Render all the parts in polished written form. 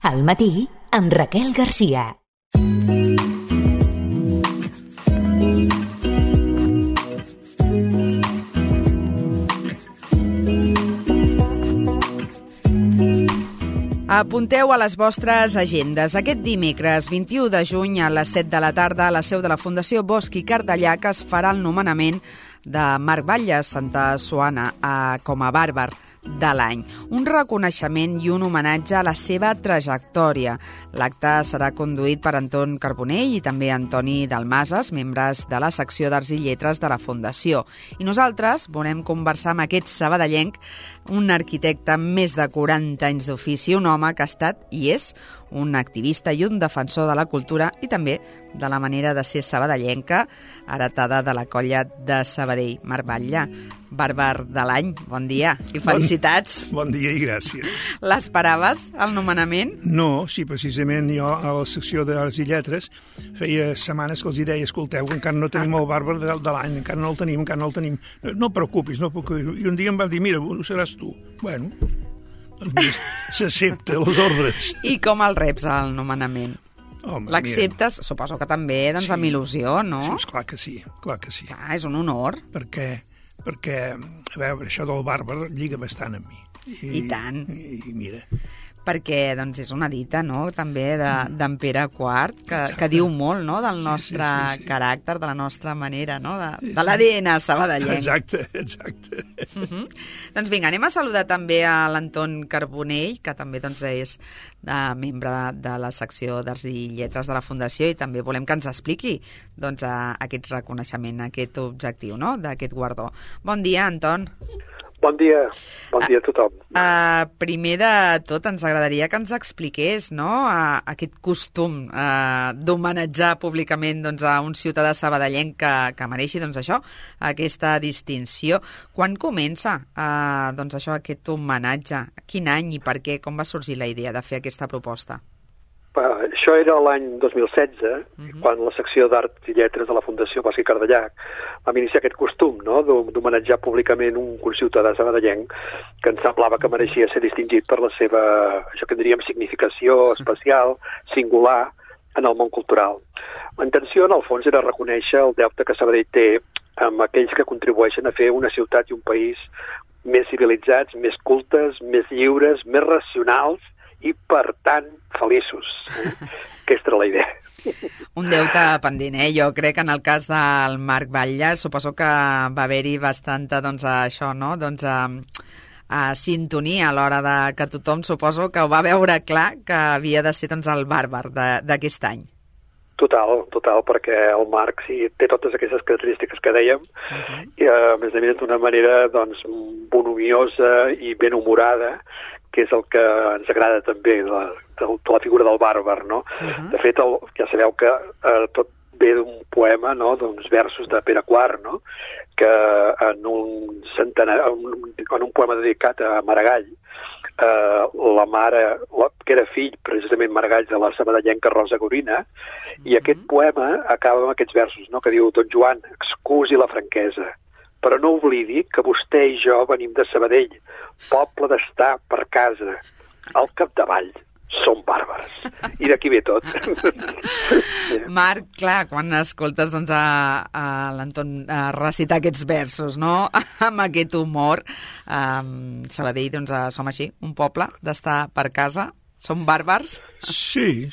Al matí, amb Raquel Garcia. Apunteu a les vostres agendes. Aquest dimecres, 21 de juny, a les 7 de la tarda, a la seu de la Fundació Bosch i Cardellac es farà el nomenament de Marc Batlle Santa Suana com a bàrbar de l'any. Un reconeixement i un homenatge a la seva trajectòria. L'acte serà conduït per Anton Carbonell i també Antoni Dalmases, membres de la secció d'Arts i Lletres de la Fundació. I nosaltres volem conversar amb aquest sabadellenc, un arquitecte amb més de 40 anys d'ofici, un home que ha estat i és un activista i un defensor de la cultura i també de la manera de ser sabadellenca, heretada de la colla de Sabadell. Marc Batlle, bàrbar de l'any, bon dia i felicitats. Bon dia i gràcies. L'esperaves, el nomenament? No, sí, precisament jo a la secció d'Arts i Lletres feia setmanes que els hi deia, escolteu, encara no tenim el bàrbar de l'any, encara no el tenim. No et preocupis, no et preocupis. I un dia em va dir, mira, ho seràs tu. Bueno, doncs s'accepta les ordres. I com el reps, el nomenament? Home, l'acceptes? Suposo que també, doncs, amb il·lusió, no? Sí, clar que sí. És un honor. Perquè, a veure, això del bàrbar lliga bastant amb mi. I tant. I mira... Perquè doncs, és una dita, no?, també d'en Pere IV, que diu molt, no?, del nostre caràcter, de la nostra manera, no?, de l'ADN sabadellenc. Exacte. Doncs vinga, anem a saludar també a l'Anton Carbonell, que també doncs, és membre de la secció d'Arts i Lletres de la Fundació, i també volem que ens expliqui doncs, aquest reconeixement, aquest objectiu, no?, d'aquest guardó. Bon dia, Anton. Bon dia a tothom. Primer de tot, ens agradaria que ens expliqués, no?, aquest costum d'homenatjar públicament doncs, a un ciutadà sabadellenc que mereixi doncs, això, aquesta distinció. Quan comença doncs, això, aquest homenatge? Quin any i per què? Com va sorgir la idea de fer aquesta proposta? Això era l'any 2016, quan la secció d'Arts i Lletres de la Fundació Bosch i Cardellac vam iniciar aquest costum, no?, d'homenatjar públicament un ciutadà sabadellenc que ens semblava que mereixia ser distingit per la seva, això que diríem, significació especial, singular, en el món cultural. La intenció, en el fons, era reconèixer el deute que Sabadell té amb aquells que contribueixen a fer una ciutat i un país més civilitzats, més cultes, més lliures, més racionals, i, per tant, feliços. Aquesta era la idea. Un deute pendent, Jo crec que en el cas del Marc Batlle suposo que va haver-hi bastanta, doncs, això, no?, doncs, sintonia a l'hora de que tothom, suposo, que ho va veure clar que havia de ser, doncs, el bàrbar d'aquest any. Total, perquè el Marc té totes aquestes característiques que dèiem, i a més d'una manera, doncs, bonhomiosa i ben humorada, que és el que ens agrada també de la figura del bàrbar, no? De fet, ja sabeu que tot ve d'un poema, no?, d'uns versos de Pere IV, no?, que en un poema dedicat a Maragall, la mare, que era fill, precisament Maragall, de la sabadellenca Rosa Gorina, i aquest poema acaba amb aquests versos, no?, que diu: Don Joan, excusi la franquesa, però no oblidi que vostè i jo venim de Sabadell, poble d'estar per casa. Al capdavall som bàrbars. I d'aquí ve tot. Marc, clar, quan escoltes doncs, a l'Anton recitar aquests versos, no?, amb aquest humor, Sabadell, doncs, som així, un poble d'estar per casa? Som bàrbars? Sí,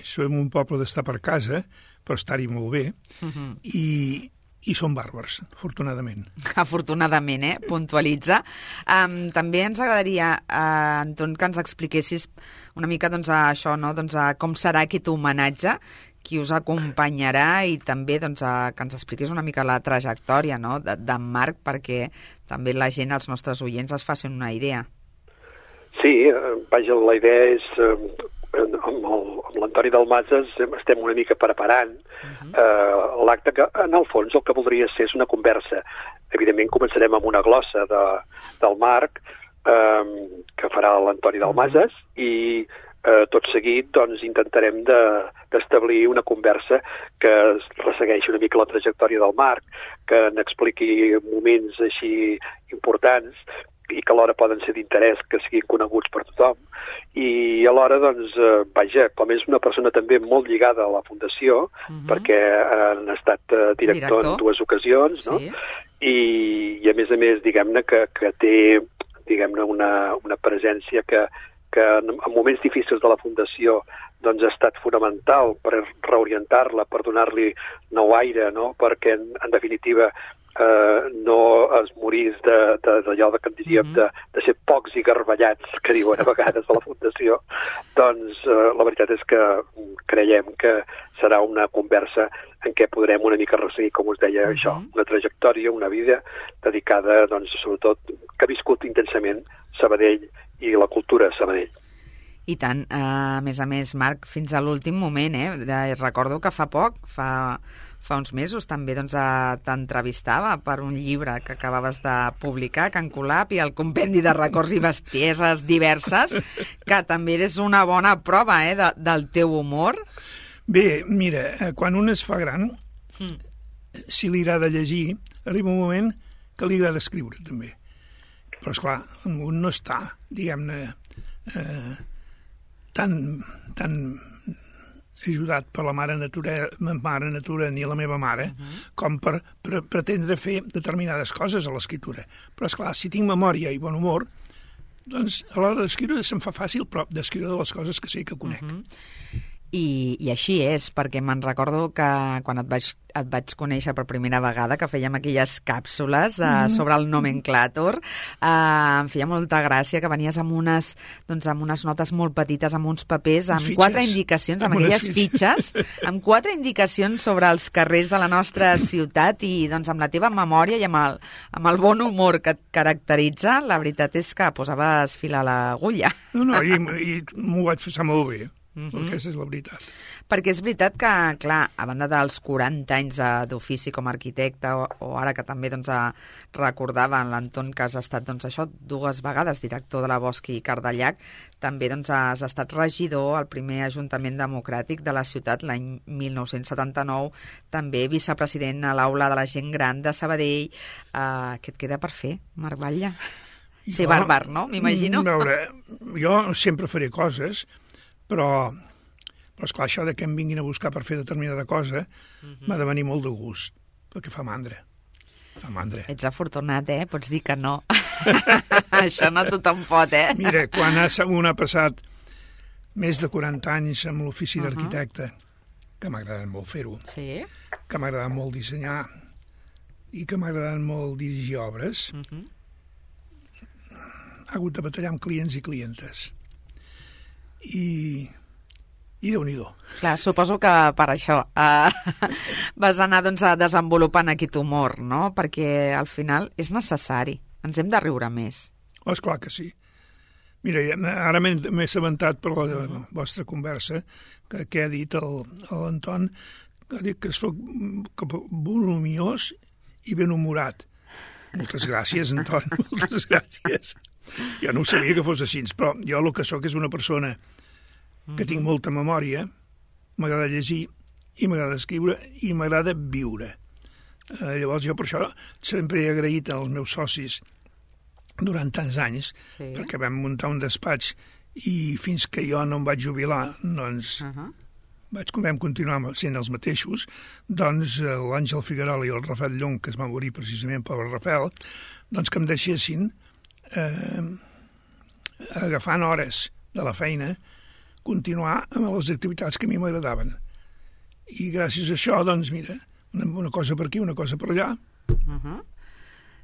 som un poble d'estar per casa, però estar-hi molt bé, i són bàrbars, afortunadament. Afortunadament, puntualitza. També ens agradaria, Anton, que ens expliquessis una mica doncs, això, no? Doncs, com serà aquest homenatge, qui us acompanyarà i també doncs, que ens expliqués una mica la trajectòria, no?, d'en Marc, perquè també la gent, els nostres oients, es facin una idea. Sí, vaja, la idea és... amb l'Antoni Dalmases estem una mica preparant l'acte que, en el fons, el que voldria ser és una conversa. Evidentment, començarem amb una glossa del Marc, que farà l'Antoni Dalmases, i tot seguit doncs, intentarem d'establir una conversa que ressegueixi una mica la trajectòria del Marc, que n'expliqui moments així importants, i que alhora poden ser d'interès que siguin coneguts per tothom, i alhora, doncs, vaja, com és una persona també molt lligada a la Fundació, perquè han estat director en 2 ocasions, no? I a més, diguem-ne, que té, diguem-ne, una presència que en moments difícils de la Fundació doncs ha estat fonamental per reorientar-la, per donar-li nou aire, no? Perquè, en definitiva, no es morís d'allò que en diríem de ser pocs i garballats, que diuen a vegades a la Fundació. Doncs la veritat és que creiem que serà una conversa en què podrem una mica resseguir, com us deia, això, una trajectòria, una vida dedicada, doncs, sobretot, que ha viscut intensament Sabadell i la cultura a Sabadell. I tant. A més, Marc, fins a l'últim moment, recordo que fa poc, fa uns mesos també doncs, t'entrevistava per un llibre que acabaves de publicar, Can Colap, i el compendi de records i bestieses diverses, que també és una bona prova del teu humor. Bé, mira, quan un es fa gran, si li agrada llegir, arriba un moment que li agrada escriure, també. Però, esclar, un no està, diguem-ne, tan ajudat per la mare natura ni la meva mare, com per pretendre fer determinades coses a l'escriptura. Però, esclar, si tinc memòria i bon humor, doncs a l'hora d'escriure se'm fa fàcil, però d'escriure de les coses que sé que conec. I així és, perquè me'n recordo que quan et vaig conèixer per primera vegada, que fèiem aquelles càpsules sobre el nomenclàtor, em feia molta gràcia que venies amb unes notes molt petites, amb uns papers, amb 4 indicacions, amb aquelles fitxes, amb 4 indicacions sobre els carrers de la nostra ciutat, i doncs amb la teva memòria i amb el bon humor que et caracteritza, la veritat és que posaves fil a l'agulla. No, i m'ho vaig passar molt bé. Perquè aquesta és la veritat. Perquè és veritat que, clar, a banda dels 40 anys d'ofici com a arquitecte, o ara que també recordava en l'Anton que has estat 2 vegades director de la Bosch i Cardellac, també has estat regidor al primer Ajuntament Democràtic de la ciutat l'any 1979, també vicepresident a l'Aula de la Gent Gran de Sabadell. Què et queda per fer, Marc Batlle? Ser bàrbar, no? M'imagino. A veure, jo sempre faré coses, però esclar, això de que em vinguin a buscar per fer determinada cosa m'ha de venir molt de gust, perquè fa mandra. Ets afortunat, Pots dir que no. Això no tothom pot, Mira, quan un ha passat més de 40 anys amb l'ofici d'arquitecte, que m'ha agradat molt fer-ho, que m'ha agradat molt dissenyar i que m'ha agradat molt dirigir obres, ha hagut de batallar amb clients i clientes. I Déu-n'hi-do. Clar, suposo que per això vas anar desenvolupant aquest humor, no? Perquè al final és necessari. Ens hem de riure més. Esclar que sí. Mira, ara m'he assabentat per la vostra conversa que ha dit l'Anton, que ha dit que soc volumiós i benhumorat. Moltes gràcies, Anton, moltes gràcies. Jo no ho sabia que fos així, però jo el que sóc és una persona que tinc molta memòria, m'agrada llegir, i m'agrada escriure, i m'agrada viure. Llavors jo per això sempre he agraït als meus socis durant tants anys, perquè vam muntar un despatx i fins que jo no em vaig jubilar, doncs vam continuar sent els mateixos, doncs l'Àngel Figuerola i el Rafael Llong, que es va morir precisament per el Rafael, doncs que em deixessin agafant hores de la feina, continuar amb les activitats que a mi m'agradaven. I gràcies a això, doncs, mira, una cosa per aquí, una cosa per allà.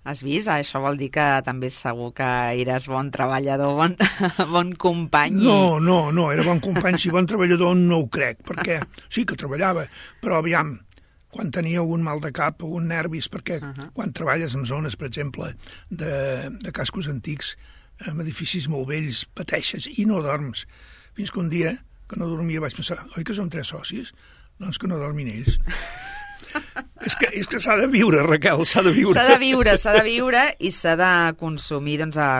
Has vist? Això vol dir que també segur que eres bon treballador, bon company. No, era bon company, si bon treballador no ho crec, perquè sí que treballava, però aviam, quan tenia algun mal de cap, algun nervis, perquè quan treballes en zones, per exemple, de cascos antics, en edificis molt vells, pateixes i no dorms. Fins que un dia, que no dormia, vaig pensar, oi que som 3 socis? Doncs que no dormin ells. És que s'ha de viure, Raquel, s'ha de viure. S'ha de viure i s'ha de consumir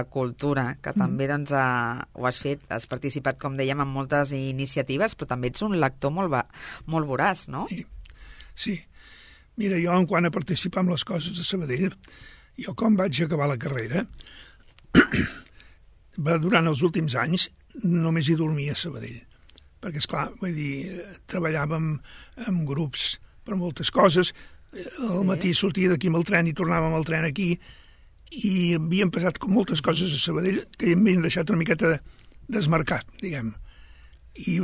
cultura, que també ho has fet, has participat, com dèiem, en moltes iniciatives, però també ets un lector molt voraç, no? Sí. Mira, jo, en quant a participar en les coses de Sabadell, jo quan vaig acabar la carrera, durant els últims anys només hi dormia a Sabadell, perquè, esclar, vull dir, treballàvem en grups per moltes coses, al matí sortia d'aquí amb el tren i tornàvem al tren aquí, i havien passat moltes coses a Sabadell que m'havien deixat una miqueta desmarcat, diguem. I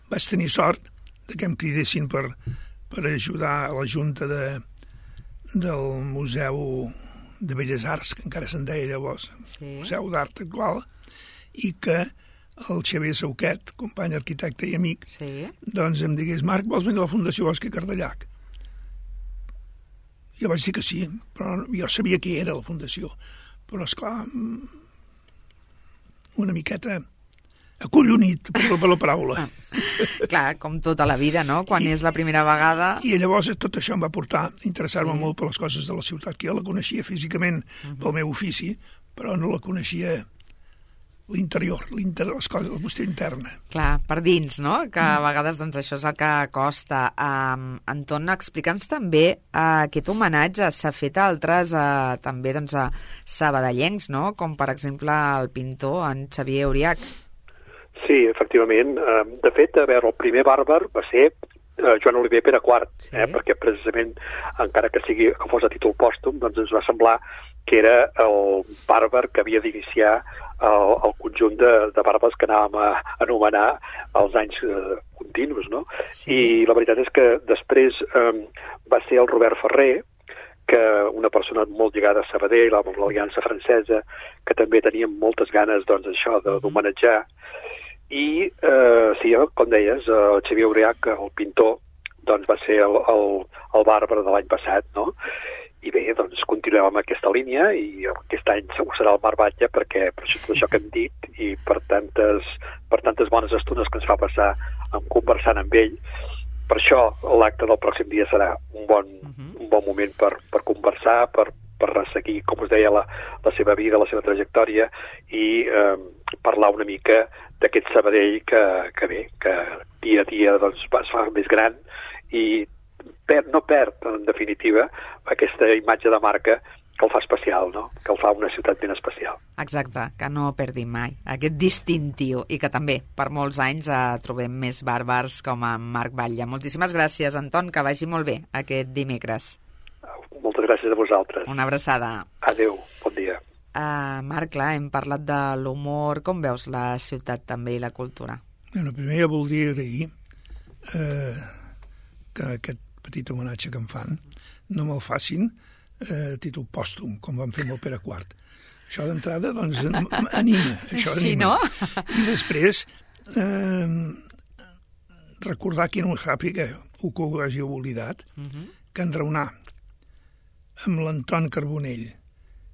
vaig tenir sort que em cridessin per ajudar a la junta del Museu de Belles Arts, que encara se'n deia llavors, Museu d'Art Actual, i que el Xavier Sauquet, company arquitecte i amic, doncs em digués: Marc, vols venir a la Fundació Bosch i Cardellac? Jo vaig dir que sí, però jo sabia què era la Fundació, però, esclar, una miqueta acollonit, per la paraula. Clar, com tota la vida, no? Quan és la primera vegada... I llavors tot això em va portar a interessar-me molt per les coses de la ciutat, que jo la coneixia físicament pel meu ofici, però no la coneixia l'interior, les coses, la qüestió interna. Clar, per dins, no? Que a vegades doncs, això és el que costa. Anton, explica'ns també aquest homenatge s'ha fet a altres, també doncs, a sabadellencs, no? Com per exemple el pintor, en Xavier Auriach. Sí, efectivament. De fet, a veure, el primer bàrbar va ser Joan Oliver Pere IV, perquè precisament, encara que fos a títol pòstum, doncs ens va semblar que era el bàrbar que havia d'iniciar el conjunt de bàrbars que anàvem a anomenar els anys continus, no? Sí. I la veritat és que després va ser el Robert Ferrer, que una persona molt lligada a Sabadell, amb l'Aliança Francesa, que també tenia moltes ganes, doncs, això d'homenatjar. I, sí, com deies, el Xavier Auriach, el pintor, doncs va ser el bàrbar de l'any passat, no? I bé, doncs continuem amb aquesta línia i aquest any segur serà el Marc Batlle perquè per això que hem dit i per tantes bones estones que ens fa passar conversant amb ell. Per això l'acte del pròxim dia serà un bon moment per conversar, per resseguir, com us deia, la seva vida, la seva trajectòria i parlar una mica d'aquest Sabadell que bé, que dia a dia doncs, es fa més gran i no perd, en definitiva, aquesta imatge de marca que el fa especial, no? Que el fa una ciutat ben especial. Exacte, que no perdi mai aquest distintiu i que també per molts anys trobem més bàrbars com a Marc Batlle. Moltíssimes gràcies, Anton, que vagi molt bé aquest dimecres. Moltes gràcies a vosaltres. Una abraçada. Adéu, bon dia. Marc, clar, hem parlat de l'humor. Com veus la ciutat també i la cultura? Bueno, primer jo voldria agrair que aquest petit homenatge que em fan no me'l facin a títol pòstum, com van fer amb el Pere IV. Això d'entrada, doncs, anima. Això sí, anima. No? I després recordar qui no ho sàpiga o que ho hagi oblidat, que enraonar amb l'Anton Carbonell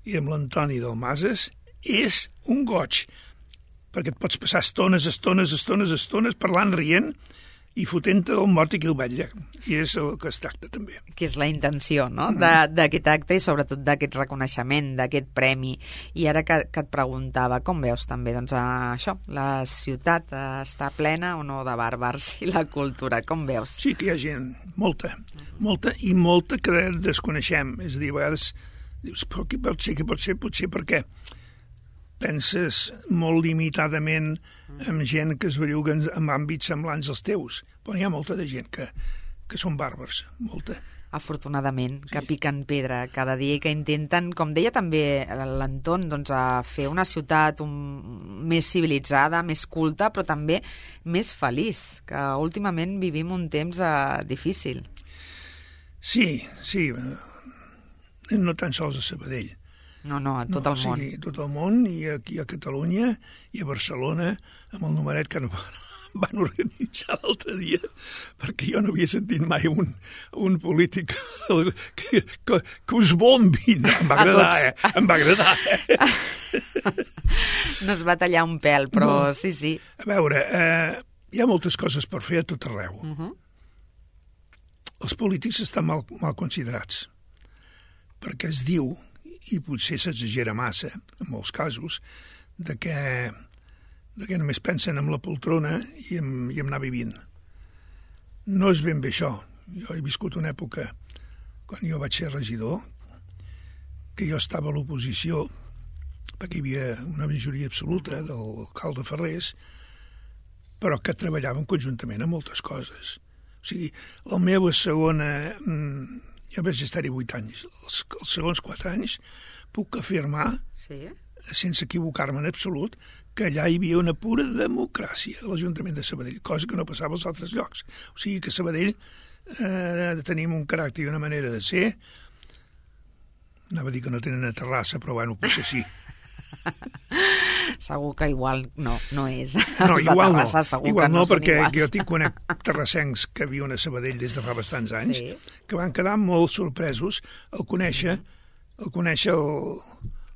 i amb l'Antoni Dalmases és un goig, perquè et pots passar estones parlant, rient i fotent-te el mort i qui el vetlla. I és el que es tracta, també. Que és la intenció, no?, d'aquest acte i sobretot d'aquest reconeixement, d'aquest premi. I ara que et preguntava, com veus també, doncs, això, la ciutat està plena o no de bàrbars i la cultura, com veus? Sí que hi ha gent, molta i molta que desconeixem. És a dir, a vegades dius, però què pot ser? Potser perquè penses molt limitadament amb gent que es belluga en àmbits semblants als teus. Però hi ha molta de gent que són bàrbars, molta. Afortunadament, que piquen pedra cada dia i que intenten, com deia també l'Anton, doncs, a fer una ciutat més civilitzada, més culta, però també més feliç, que últimament vivim un temps difícil. Sí, no tan sols a Sabadell. No, a tot el món. Sí, a tot el món, i aquí a Catalunya, i a Barcelona, amb el numeret que van organitzar l'altre dia, perquè jo no havia sentit mai un polític que us bombin. Em va agradar, No es va tallar un pèl, però no. Sí. A veure, hi ha moltes coses per fer a tot arreu. Els polítics estan mal considerats, perquè es diu, i potser s'exagera massa, en molts casos, de que només pensen en la poltrona i en anar vivint. No és ben bé això. Jo he viscut una època, quan jo vaig ser regidor, que jo estava a l'oposició perquè hi havia una majoria absoluta de l'alcalde Ferrés, però que treballaven conjuntament en moltes coses. O sigui, la meva segona... Jo vaig estar-hi 8 anys. Els segons 4 anys puc afirmar, sense equivocar-me en absolut, que allà hi havia una pura democràcia a l'Ajuntament de Sabadell, cosa que no passava als altres llocs. O sigui que a Sabadell tenim un caràcter i una manera de ser. Anava a dir que no tenen una terrassa, però bueno, potser sí. Segur que igual no és. No, igual no. Igual no, perquè jo tinc terrassencs que viuen a Sabadell des de fa bastants anys, que van quedar molt sorpresos al conèixer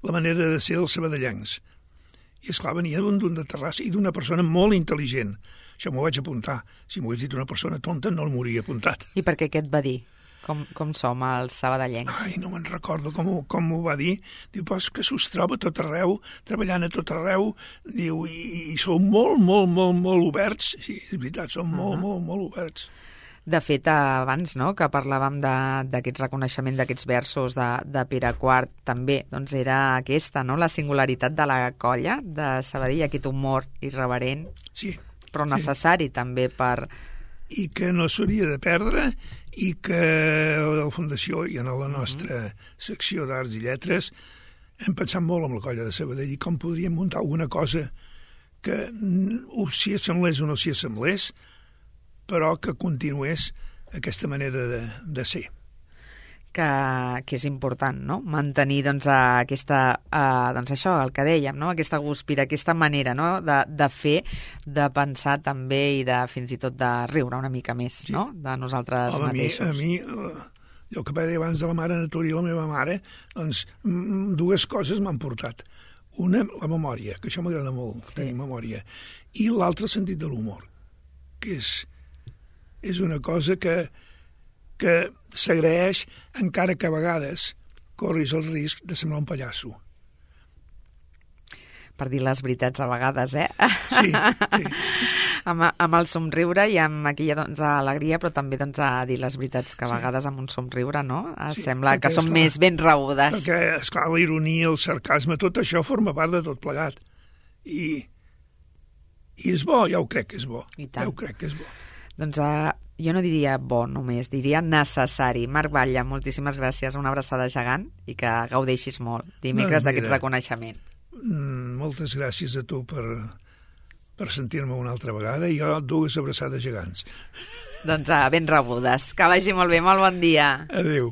la manera de ser dels sabadellencs. I, esclar, venia d'un de Terrassa i d'una persona molt intel·ligent. Això m'ho vaig apuntar. Si m'ho hagués dit una persona tonta, no m'ho hauria apuntat. I per què et va dir? Com som els sabadellencs? Ai, no me'n recordo com m'ho va dir. Diu, però és que s'us troba a tot arreu, treballant a tot arreu, diu, i som molt, molt, molt, molt oberts. Sí, és veritat, som molt, molt, molt oberts. De fet, abans, no?, que parlàvem d'aquest reconeixement d'aquests versos de Pere IV, també doncs era aquesta, no?, la singularitat de la colla de Sabadell, aquest humor irreverent, però necessari també per... I que no s'hauria de perdre, i que a la Fundació i en la nostra secció d'Arts i Lletres hem pensat molt en la colla de Sabadell i com podríem muntar alguna cosa que s'hi assemblés o no s'hi assemblés, però que continués aquesta manera de ser. Que és important, no?, mantenir doncs aquesta, doncs això, el que dèiem, no?, aquesta guspira, aquesta manera, no?, de fer, de pensar també i de fins i tot de riure una mica més, no?, de nosaltres mateixos. A mi, el que va dir abans de la mare natura i la meva mare, doncs dues coses m'han portat. Una, la memòria, que això m'agrada molt, tenir memòria, i l'altra, el sentit de l'humor, que és una cosa que s'agraeix encara que a vegades corris el risc de semblar un pallasso. Per dir les veritats a vegades, Sí. Amb el somriure i amb aquella doncs, alegria, però també doncs, a dir les veritats que a vegades amb un somriure, no? Sembla que són més ben rebudes. Perquè, esclar, la ironia, el sarcasme, tot això forma part de tot plegat. I és bo, ja ho crec que és bo. I tant. Ja ho crec que és bo. Doncs jo no diria bo només, diria necessari. Marc Batlle, moltíssimes gràcies, una abraçada gegant i que gaudeixis molt dimecres d'aquest reconeixement. Moltes gràcies a tu per sentir-me una altra vegada i jo dues abraçades gegants. Doncs ben rebudes. Que vagi molt bé, molt bon dia. Adéu.